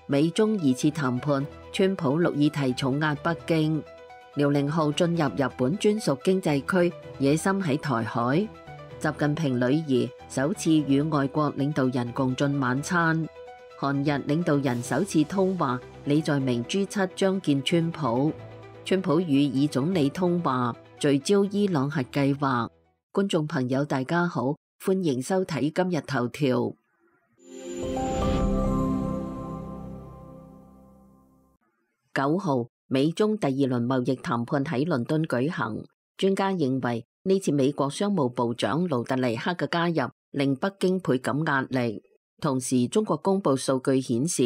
美中二次談判，川普陸議題重壓北京。遼寧號進入日本專屬經濟區，野心喺台海。習近平女兒首次與外國領導人共進晚餐。韓日領導人首次通話，李在明 G7 將見川普。川普與以總理通話，聚焦伊朗核計劃。觀眾朋友大家好，歡迎收睇今日頭條。9號，美中第二輪貿易談判喺倫敦舉行。專家認為呢次美國商務部長盧特尼克嘅加入令北京倍感壓力。同時，中國公布數據顯示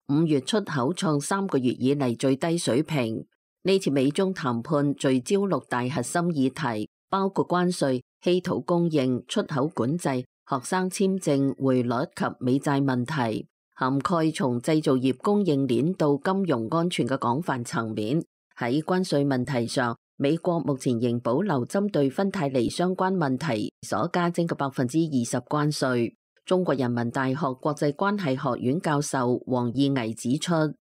，5月出口創3個月以嚟最低水平。呢次美中談判聚焦6大核心議題，包括關稅、稀土供應、出口管制、學生簽證、匯率及美債問題，涵蓋從製造業供應鏈到金融安全嘅廣泛層面。喺關稅問題上，美國目前仍保留針對芬太尼相關問題所加徵嘅20%關稅。中國人民大學國際關係學院教授王義巍指出，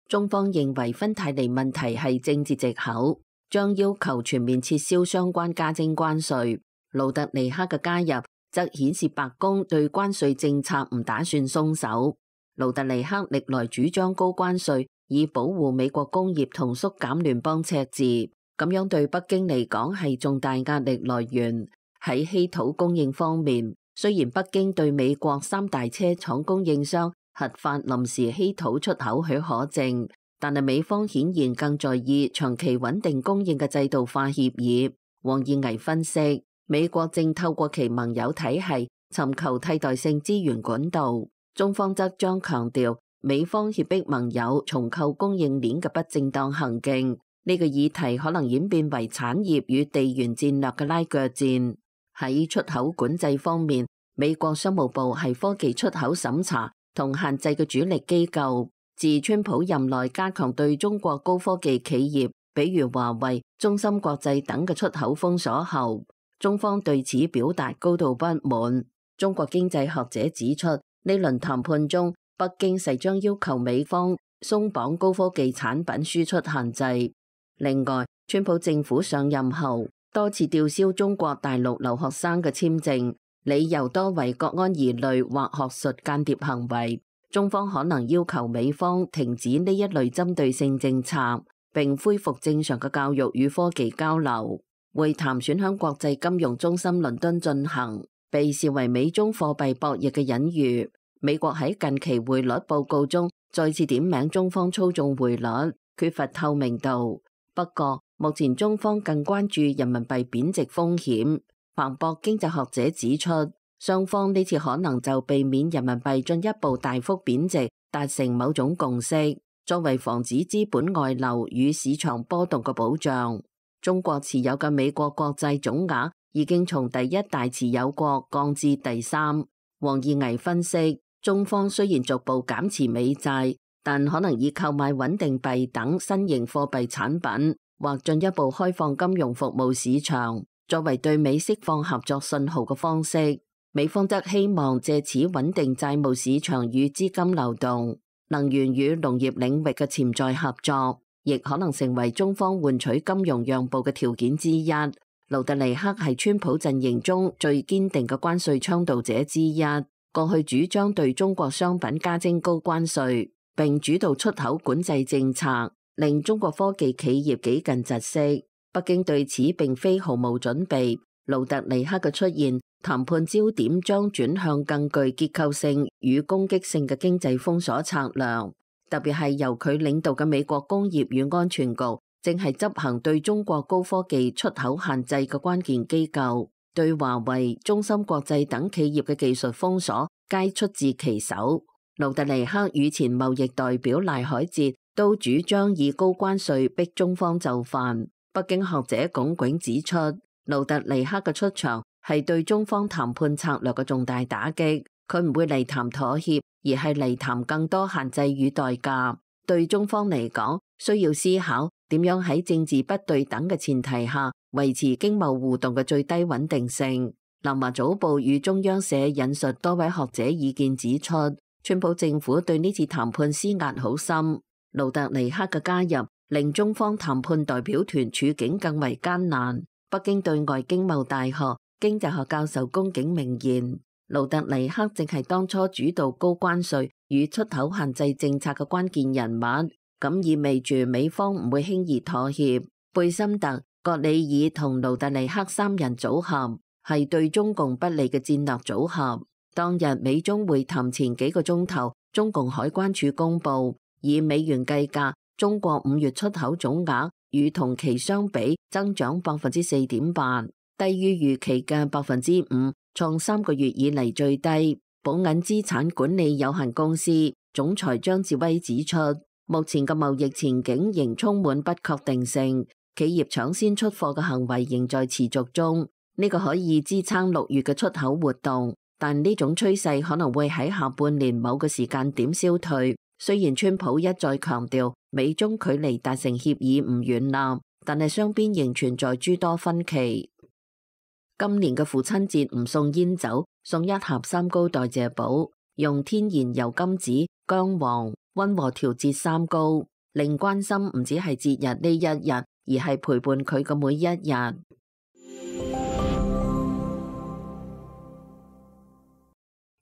中方認為芬太尼問題係政治藉口，將要求全面撤銷相關加徵關稅。盧特尼克嘅加入則顯示白宮對關稅政策唔打算鬆手。盧特尼克歷來主張高關稅，以保護美國工業同縮減聯邦赤字，咁樣對北京嚟講係重大壓力來源。喺稀土供應方面，雖然北京對美國3大車廠供應商核發臨時稀土出口許可證，但係美方顯然更在意長期穩定供應嘅制度化協議。王義巍分析，美國正透過其盟友體系尋求替代性資源管道，中方則將強調美方脅迫盟友重構供應鏈嘅不正當行徑。呢個議題可能演變為產業與地緣戰略嘅拉鋸戰。喺出口管制方面，美國商務部係科技出口審查同限制嘅主力機構。自川普任內加強對中國高科技企業，比如華為、中芯國際等嘅出口封鎖後，中方對此表達高度不滿。中國經濟學者指出，呢輪談判中，北京勢將要求美方鬆綁高科技產品輸出限制。另外，川普政府上任後多次吊銷中國大陸留學生嘅簽證，理由多為國安疑慮或學術間諜行為。中方可能要求美方停止呢一類針對性政策，並恢復正常嘅教育與科技交流。會談選響國際金融中心倫敦進行，被視為美中貨幣博弈嘅隱喻。美國喺近期匯率報告中再次點名中方操縱匯率，缺乏透明度。不過，目前中方更關注人民幣貶值風險。彭博經濟學者指出，雙方呢次可能就避免人民幣進一步大幅貶值達成某種共識，作為防止資本外流與市場波動嘅保障。中國持有嘅美國國債總額已經從第一大持有國降至第3。王義巍分析，中方雖然逐步減持美債，但可能以購買穩定幣等新型貨幣產品，或進一步開放金融服務市場，作為對美釋放合作信號嘅方式。美方則希望借此穩定債務市場與資金流動。能源與農業領域嘅潛在合作，亦可能成為中方換取金融讓步嘅條件之一。盧特尼克係川普陣營中最堅定嘅關稅倡導者之一，過去主張對中國商品加徵高關稅，並主導出口管制政策，令中國科技企業幾近窒息。北京對此並非毫無準備。盧特尼克嘅出現，談判焦點將轉向更具結構性與攻擊性嘅經濟封鎖策略，特別係由佢領導嘅美國工業與安全局正係執行對中國高科技出口限制嘅關鍵機構，對華為、中芯國際等企業嘅技術封鎖皆出自其手。盧特尼克與前貿易代表賴海哲都主張以高關稅逼中方就範。北京學者龔景指出，盧特尼克嘅出場係對中方談判策略嘅重大打擊，佢唔會嚟談妥協，而係嚟談更多限制與代價。對中方嚟講，需要思考點樣喺政治不對等嘅前提下維持經貿互動嘅最低穩定性。南華早報與中央社引述多位學者意見指出，川普政府對呢次談判施壓好深，盧特尼克嘅加入令中方談判代表團處境更為艱難。北京對外經貿大學經濟學教授龔景明言，盧特尼克正係當初主導高關稅與出口限制政策嘅關鍵人物，咁意味住美方唔會輕易妥協。貝森特、葛里爾同盧特尼克三人組合係對中共不利嘅戰略組合。當日美中會談前幾個鐘頭，中共海關署公佈，以美元計價，中國5月出口總額與同期相比增長4.8%，低於預期嘅5%，創3個月以嚟最低。寶銀資產管理有限公司總裁張志威指出，目前嘅貿易前景仍充滿不確定性，企業搶先出貨嘅行為仍在持續中，呢個可以支撐6月嘅出口活動。但呢種趨勢可能會喺下半年某個時間點消退。雖然川普一再強調美中距離達成協議唔遠啦，但係雙邊仍存在諸多分歧。今年嘅父親節唔送煙酒，送一盒三高代謝寶，用天然油甘子、薑黃溫和調節三高，令關心唔只係節日呢一日，而係陪伴佢嘅每一日。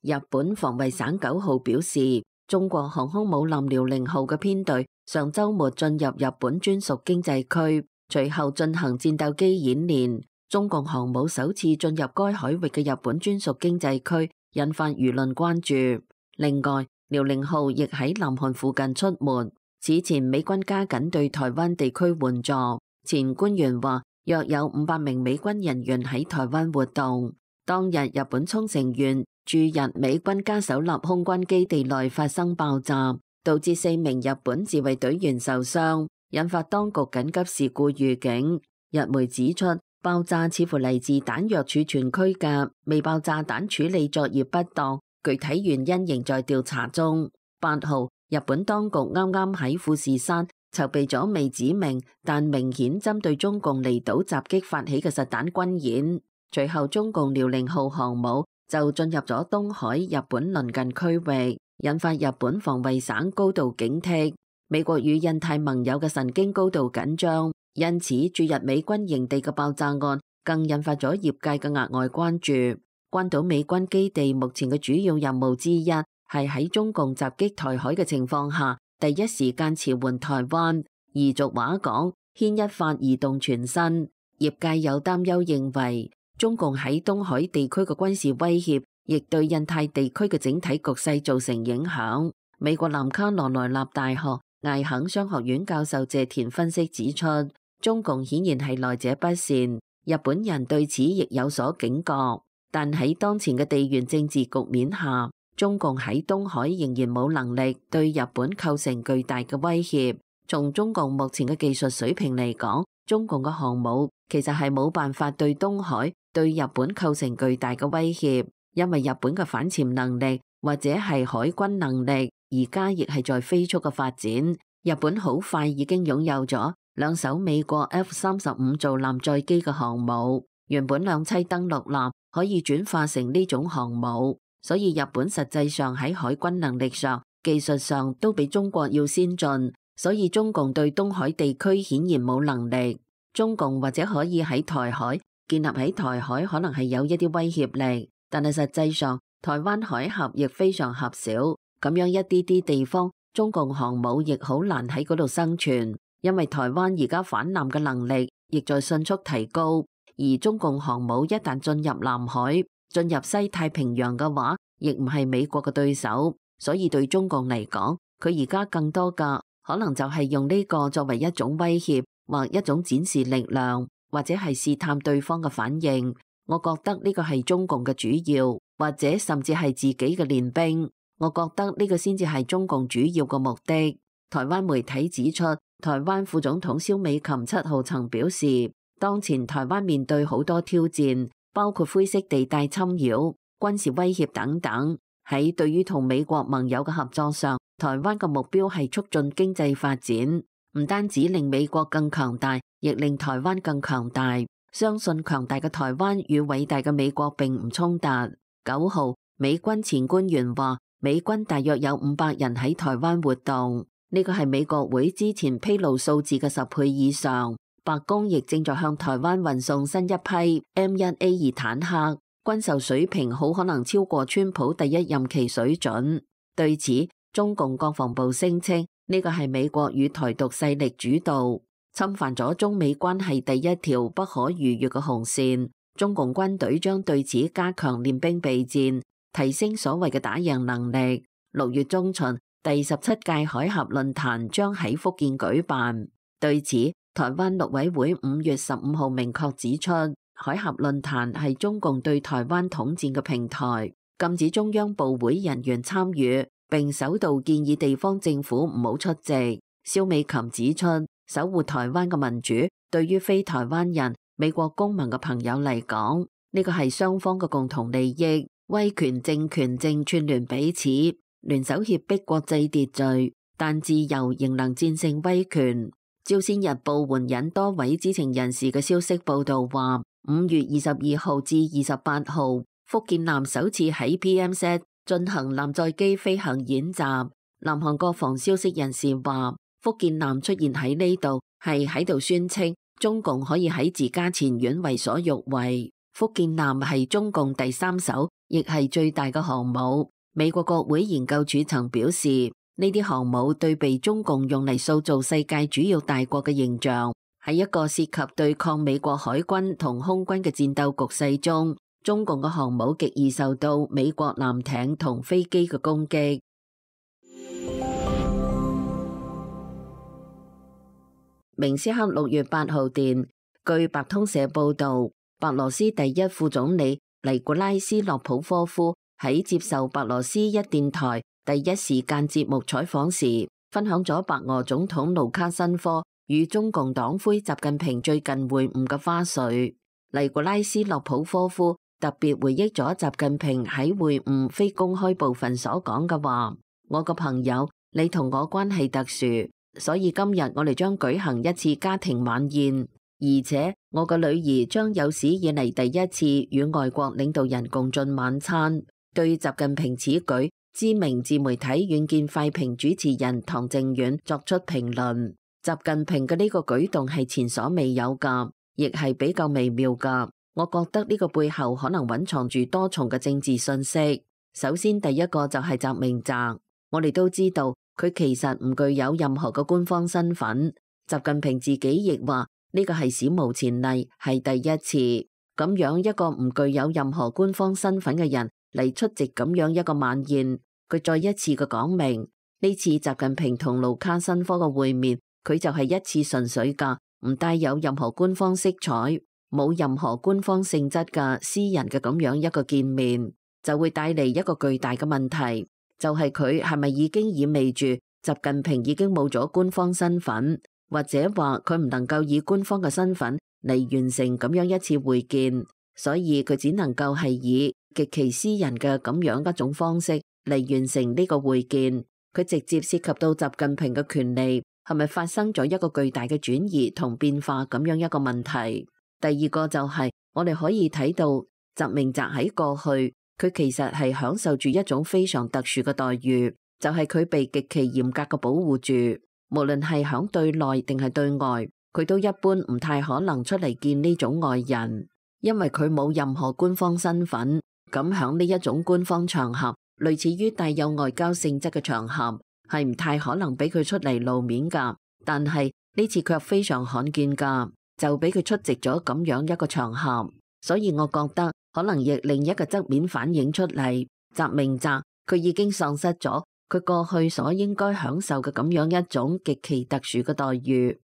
日本防衛省9號表示，中國航空母艦遼寧號嘅編隊上週末進入日本專屬經濟區，隨後進行戰鬥機演練。中共航母首次進入該海域嘅日本專屬經濟區，引發輿論關注。另外，遼寧號亦喺南韓附近出沒。此前美軍加緊對台灣地區援助，前官員話約有500名美軍人員喺台灣活動。當日日本沖繩縣駐日美軍嘉手納空軍基地內發生爆炸，導致4名日本自衛隊員受傷，引發當局緊急事故預警。日媒指出，爆炸似乎嚟自彈藥儲存區嘅未爆炸彈處理作業不當，具體原因仍在調查中。8號，日本當局啱啱喺富士山籌備咗未指明但明顯針對中共離島襲擊發起嘅實彈軍演。隨後，中共遼寧號航母就進入咗東海日本鄰近區域，引發日本防衛省高度警惕。美國與印太盟友嘅神經高度緊張，因此駐日美軍營地嘅爆炸案更引發咗業界嘅額外關注。關島美軍基地目前嘅主要任務之一係喺中共襲擊台海嘅情況下，第一時間馳援台灣。而俗話講，牽一髮而動全身。業界有擔憂認為，中共喺東海地區嘅軍事威脅，亦對印太地區嘅整體局勢造成影響。美國南卡羅來納大學艾肯商學院教授謝田分析指出，中共顯然係來者不善，日本人對此亦有所警覺。但喺當前嘅地緣政治局面下，中共喺東海仍然冇能力對日本構成巨大嘅威脅。從中共目前嘅技術水平嚟講，中共嘅航母其實係冇辦法對東海對日本構成巨大嘅威脅，因為日本嘅反潛能力或者係海軍能力而家亦係在飛速嘅發展。日本好快已經擁有咗2艘美國 F-35造艦載機嘅航母，原本兩棲登陸艦可以轉化成呢種航母，所以日本實際上喺海軍能力上、技術上都比中國要先進，所以中共對東海地區顯然冇能力。中共或者可以喺台海建立喺台海可能係有一啲威脅力，但係實際上台灣海峽亦非常狹小，咁樣一啲啲地方，中共航母亦好難喺嗰度生存，因為台灣而家反艦嘅能力亦在迅速提高，而中共航母一旦進入南海、進入西太平洋嘅話，亦唔係美國嘅對手，所以對中共嚟講，佢而家更多嘅可能就係用呢個作為一種威脅，或一種展示力量，或者係試探對方嘅反應。我覺得呢個係中共嘅主要，或者甚至係自己嘅練兵。我覺得呢個先至係中共主要嘅目的。台灣媒體指出，台灣副總統蕭美琴7號曾表示，當前台灣面對好多挑戰，包括灰色地帶侵擾、軍事威脅等等。喺對於同美國盟友嘅合作上，台灣嘅目標係促進經濟發展。唔單止令美國更強大，亦令台灣更強大。相信強大嘅台灣與偉大嘅美國並唔衝突。9號，美軍前官員話，美軍大約有500人喺台灣活動，呢個係美國會之前披露數字嘅10倍以上。白宮亦正在向台灣運送新一批 M1A2 坦克，軍售水平好可能超過川普第一任期水準。對此，中共國防部聲稱呢個係美國與台獨勢力主導，侵犯咗中美關係第一條不可逾越嘅紅線。中共軍隊將對此加強練兵備戰，提升所謂嘅打贏能力。6月中旬，第17屆海峽論壇將喺福建舉辦。對此，台灣陸委會5月15號明確指出，海峽論壇係中共對台灣統戰嘅平台，禁止中央部會人員參與，並首度建議地方政府唔好出席。蕭美琴指出，守護台灣嘅民主，對於非台灣人、美國公民嘅朋友嚟講，呢個係雙方嘅共同利益。威權政權正串聯彼此，聯手脅迫國際秩序，但自由仍能戰勝威權。朝鮮日報援引多位知情人士嘅消息報道話，5月22號至28號，福建艦首次喺 PMZ 進行艦載機飛行演習。南韓國防消息人士話，福建艦出現喺呢度係喺度宣稱中共可以喺自家前院為所欲為。福建艦係中共第3艘，亦係最大嘅航母。美國國會研究處曾表示，呢啲航母對被中共用嚟塑造世界主要大國嘅形象，喺一個涉及對抗美國海軍同空軍嘅戰鬥局勢中，中共嘅航母極易受到美國艦艇同飛機嘅攻擊。明斯克6月8號電，據白通社報導，白羅斯第一副總理尼古拉斯洛普科夫喺接受白羅斯一電台第一時間節目採訪時，分享咗白俄總統盧卡申科與中共黨魁習近平最近會晤嘅花絮。尼古拉斯洛普科夫特別回憶咗習近平喺會晤非公開部分所講嘅話：我個朋友，你同我關係特殊，所以今日我哋將舉行一次家庭晚宴，而且我個女兒將有史以嚟第一次與外國領導人共進晚餐。對習近平此舉，知名自媒體遠見快評主持人唐靖遠作出評論：習近平嘅呢個舉動係前所未有㗎，亦係比較微妙㗎。我覺得呢個背後可能蘊藏住多重嘅政治信息。首先，第一個就係習明澤，我哋都知道佢其實唔具有任何嘅官方身份。習近平自己亦話呢個係史無前例，係第一次。咁樣一個唔具有任何官方身份嘅人嚟出席咁樣一個晚宴，佢再一次嘅講明，呢次習近平同盧卡申科嘅會面，佢就係一次純粹嘅，唔帶有任何官方色彩，冇任何官方性質嘅私人嘅咁樣一個見面，就會帶嚟一個巨大嘅問題，就係佢係咪已經意味住習近平已經冇咗官方身份，或者話佢唔能夠以官方嘅身份嚟完成咁樣一次會見，所以佢只能夠係以極其私人嘅咁樣一種方式嚟完成呢個會見。佢直接涉及到習近平嘅權利係咪發生咗一個巨大嘅轉移同變化咁樣一個問題。第二個就係我哋可以睇到習明澤喺過去，佢其實係享受住一種非常特殊嘅待遇，就係佢被極其嚴格嘅保護住，無論係響對內定係對外，佢都一般唔太可能出嚟見呢種外人，因為佢冇任何官方身份。咁響呢一種官方場合，類似於帶有外交性質嘅場合，係唔太可能俾佢出嚟露面噶。但係呢次卻非常罕見噶，就俾佢出席咗咁樣一個場合，所以我覺得可能亦另一個側面反映出嚟，習明澤佢已經喪失咗佢過去所應該享受嘅咁樣一種極其特殊嘅待遇。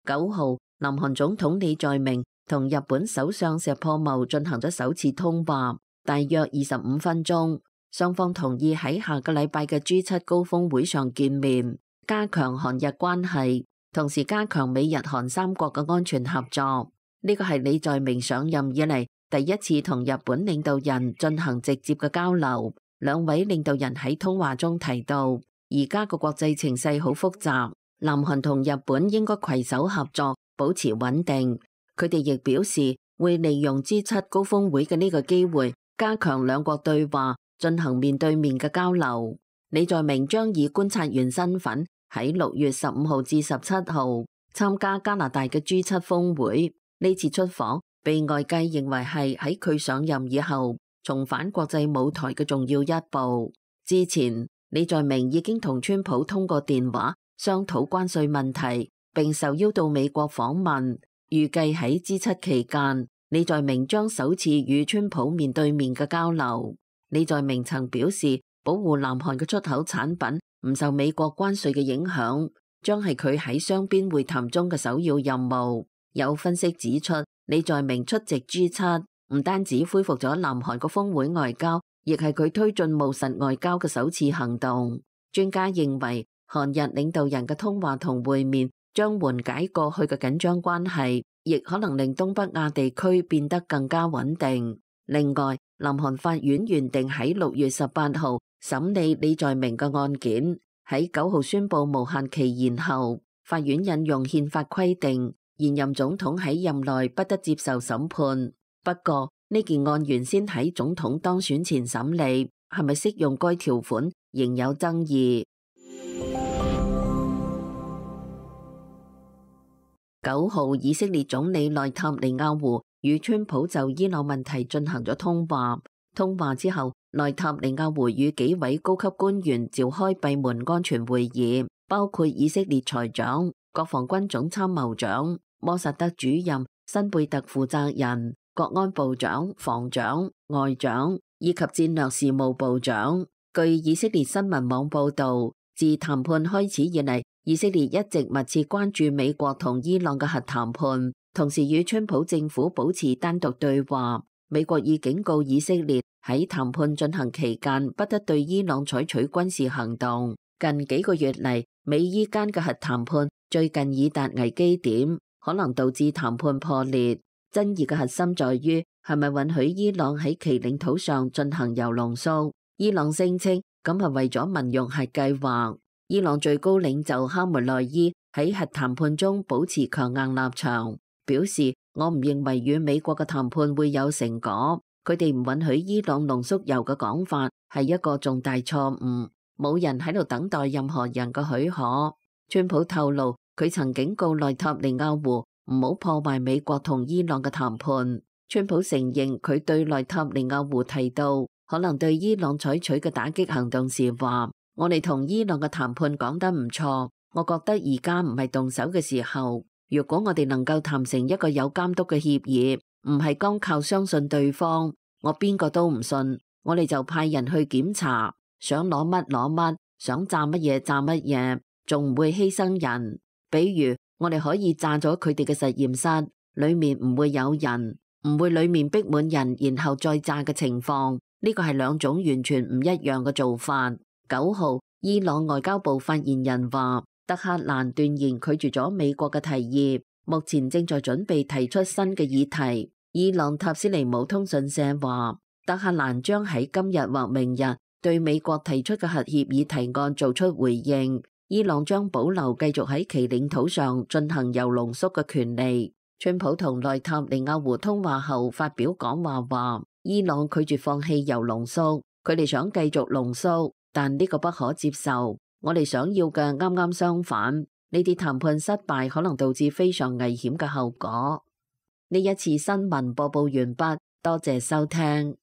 9號，南韓總統李在明同日本首相石破茂進行咗首次通話，大約25分鐘。雙方同意喺下個禮拜嘅 G7 高峰會上見面，加強韓日關係，同時加強美日韓三國嘅安全合作。呢個係李在明上任以嚟第一次同日本領導人進行直接嘅交流。兩位領導人喺通話中提到，而家個國際情勢好複雜，南韓同日本應該攜手合作，保持穩定。佢哋亦表示，會利用 G7 高峰會嘅呢個機會，加強兩國對話，進行面對面嘅交流。李在明將以觀察員身份喺6月15號至17號參加加拿大嘅 G7 峰會。呢次出訪被外界認為係喺佢上任以後重返國際舞台嘅重要一步。之前李在明已經同川普通過電話商討關稅問題，並受邀到美國訪問。預計喺 G7 期間，李在明將首次與川普面對面嘅交流。李在明曾表示，保護南韓嘅出口產品唔受美國關稅嘅影響，將係佢喺雙邊會談中嘅首要任務。有分析指出，李在明出席 G7 唔單止恢復咗南韓嘅峰會外交，亦係佢推進務實外交嘅首次行動。專家認為，韓日領導人嘅通話同會面將緩解過去嘅緊張關係，亦可能令東北亞地區變得更加穩定。另外，南韓法院原定喺6月18號審理李在明嘅案件，喺9號宣布無限期延後。法院引用憲法規定，現任總統喺任內不得接受審判。不過，呢件案原先喺總統當選前審理，係咪適用該條款仍有爭議。9號，以色列總理內塔尼亞胡與川普就伊朗問題進行咗通話。通話之後，內塔尼亞胡與幾位高級官員召開閉門安全會議，包括以色列財長、國防軍總參謀長、摩薩德主任辛貝特負責人、國安部長、防長、外長以及戰略事務部長。據以色列新聞網報導，自談判開始以嚟，以色列一直密切關注美國同伊朗嘅核談判，同時與川普政府保持單獨對話。美國已警告以色列喺談判進行期間不得對伊朗採取軍事行動。近幾個月嚟，美伊間嘅核談判最近已達危機點，可能導致談判破裂。爭議嘅核心在於係咪允許伊朗喺其領土上進行鈾濃縮。伊朗聲稱咁係為咗民用核計劃。伊朗最高領袖哈梅內伊喺核談判中保持強硬立場，表示我唔認為與美國嘅談判會有成果。佢哋唔允許伊朗濃縮鈾嘅講法係一個重大錯誤，冇人喺度等待任何人嘅許可。川普透露佢曾警告內塔尼亞胡唔好破壞美國同伊朗嘅談判。川普承認佢對內塔尼亞胡提到可能對伊朗採取嘅打擊行動時話：我哋同伊朗嘅談判講得唔錯，我覺得而家唔係動手嘅時候。如果我哋能夠談成一個有監督嘅協議，唔係光靠相信對方，我邊個都唔信，我哋就派人去檢查，想攞乜攞乜，想炸乜嘢炸乜嘢，仲唔會犧牲人。比如我哋可以炸咗佢哋嘅實驗室，裏面唔會有人，唔會裏面逼滿人，然後再炸嘅情況。呢個係兩種完全唔一樣嘅做法。9號，伊朗外交部發言人話，德黑蘭斷然拒絕咗美國嘅提議，目前正在準備提出新嘅議題。伊朗塔斯尼姆通訊社話，德黑蘭將喺今日或明日對美國提出嘅核協議提案做出回應。伊朗將保留繼續喺其領土上進行鈾濃縮嘅權利。川普同內塔尼亞胡通話後發表講話話，伊朗拒絕放棄鈾濃縮，佢哋想繼續濃縮，但呢個不可接受。我哋想要嘅啱啱相反，呢啲談判失敗可能導致非常危險嘅後果。呢一次新聞播報完畢，多謝收聽。